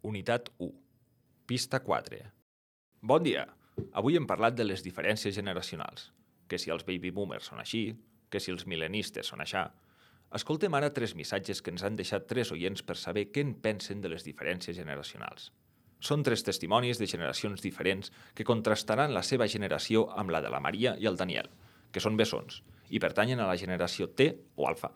Unitat 1. Pista 4. Bon dia! Avui hem parlat de les diferències generacionals, que si els baby boomers són així, que si els mil·lenistes són aixà. Escoltem ara 3 missatges que ens han deixat 3 oients per saber què en pensen de les diferències generacionals. Són 3 testimonis de generacions diferents que contrastaran la seva generació amb la de la Maria i el Daniel, que són bessons, i pertanyen a la generació T o alfa.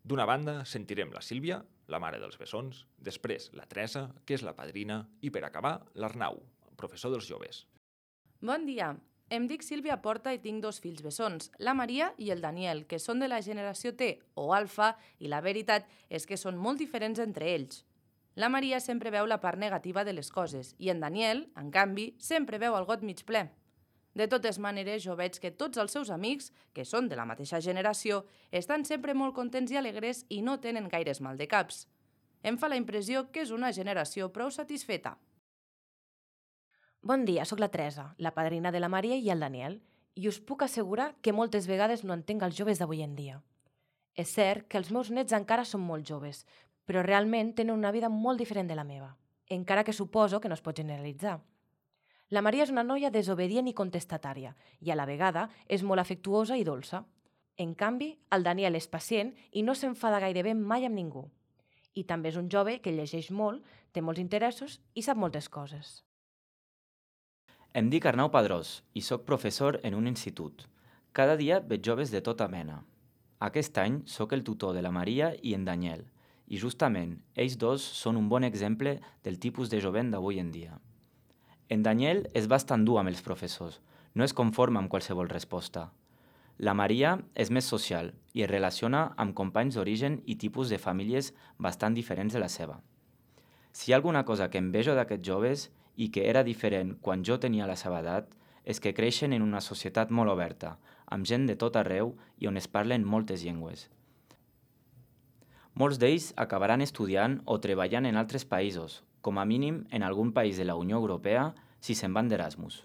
D'una banda, sentirem la Sílvia, la mare dels bessons, després la Teresa, que és la padrina, i per acabar, l'Arnau, professor dels joves. Bon dia, em dic Sílvia Porta i tinc 2 fills bessons, la Maria i el Daniel, que són de la generació T o alfa, i la veritat és que són molt diferents entre ells. La Maria sempre veu la part negativa de les coses i en Daniel, en canvi, sempre veu el got mig ple. De totes maneres, jo veig que tots els seus amics, que són de la mateixa generació, estan sempre molt contents i alegres i no tenen gaires maldecaps. Em fa la impressió que és una generació prou satisfeta. Bon dia, sóc la Teresa, la padrina de la Maria i el Daniel, i us puc assegurar que moltes vegades no entenc els joves d'avui en dia. És cert que els meus nets encara són molt joves, però realment tenen una vida molt diferent de la meva, encara que suposo que no es pot generalitzar. La Maria és una noia desobedient i contestatària, i a la vegada és molt afectuosa i dolça. En canvi, el Daniel és pacient i no s'enfada gairebé mai amb ningú. I també és un jove que llegeix molt, té molts interessos i sap moltes coses. Em dic Arnau Padrós i sóc professor en un institut. Cada dia veig joves de tota mena. Aquest any sóc el tutor de la Maria i en Daniel, i justament ells dos són un bon exemple del tipus de jovent d'avui en dia. En Daniel és bastant dur amb els professors, no es conforma amb qualsevol resposta. La Maria és més social i es relaciona amb companys d'origen i tipus de famílies bastant diferents de la seva. Si hi ha alguna cosa que envejo d'aquests joves i que era diferent quan jo tenia la seva edat, és que creixen en una societat molt oberta, amb gent de tot arreu i on es parlen moltes llengües. Molts d'ells acabaran estudiant o treballant en altres països, com a mínim en algun país de la Unió Europea si se'n van d'Erasmus.